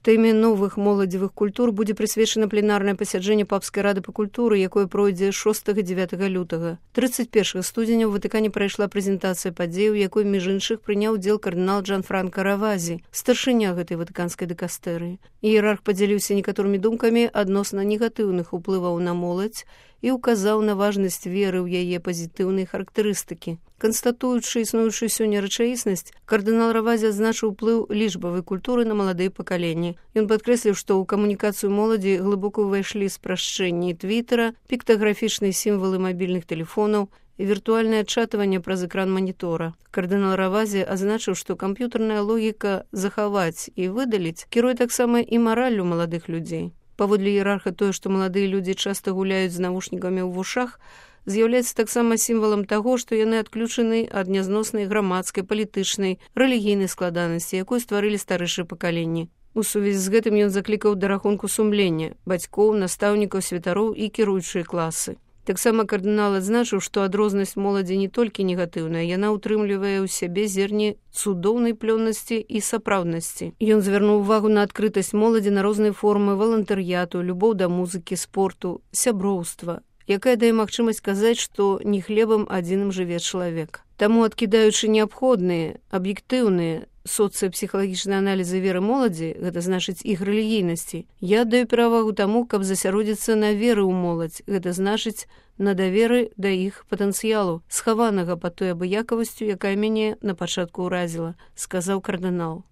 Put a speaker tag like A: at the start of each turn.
A: Тэме новых моладзевых культур будзе прысвечана пленарнае пасяджэнне папскай рады па культуры, якое пройдзе 6-9 лютага. 31 студзеня ў Ватыкане прайшла прэзентацыя падзей, у якой між іншых прыняў удзел кардынал Джанфранко Равазі, старшыня гэтай ватыканскай дыкастэрыі. Іерарх падзяліўся некаторымі думкамі адносна негатыўных уплываў на моладзь і указаў на важнасць веры ў яе пазітыўнай характарыстыкі. Канстатуючы існуючую сёння рэчаіснасць, кардынал Равазі адзначыў уплыў лічбавай культуры на маладыя пакаленні. Ён падкрэсліў, што ў камунікацыю моладзі глыбока ўвайшлі спрашчэнні твітера, піктаграфічныя сімвалы мабільных тэлефонаў і віртуальнае адчатванне праз экран манітора. Кардынал Равазі азначыў, што камп'ютарная логіка захаваць і выдаліць кіруе таксама і мараллю маладых людзей. Паводле іерарха тое, што маладыя людзі часта гуляюць з навушнікамі ў вушах, з'яўляецца таксама сімвалам таго, што яны адключаны ад нязноснай грамадскай, палітычнай, рэлігійнай складанасці, якую стварылі старэйшыя пакаленні. У сувязі з гэтым ён заклікаў да рахунку сумлення бацькоў, настаўнікаў, святароў і кіруючыя класы. Таксама кардынал адзначыў, што адрознасць моладзі не толькі негатыўная, яна ўтрымлівае ў сябе зерні цудоўнай плённасці і сапраўднасці. Ён звярнуў увагу на адкрытасць моладзі на розныя формы валантарыяту, любоў да музыкі, спорту, сяброўства, якая дае магчымасць казаць, што не хлебам адзіным жыве чалавек. Таму, адкідаючы неабходныя, аб'ектыўныя соцыяпсіхалагічныя аналізы веры моладзі, гэта значыць іх рэлігійнасці, я аддаю перавагу таму, каб засяродзіцца на веры ў моладзь, гэта значыць на даверы да іх патэнцыялу, схаванага пад той абыякавасцю, якая мяне на пачатку ўразіла, сказаў кардынал.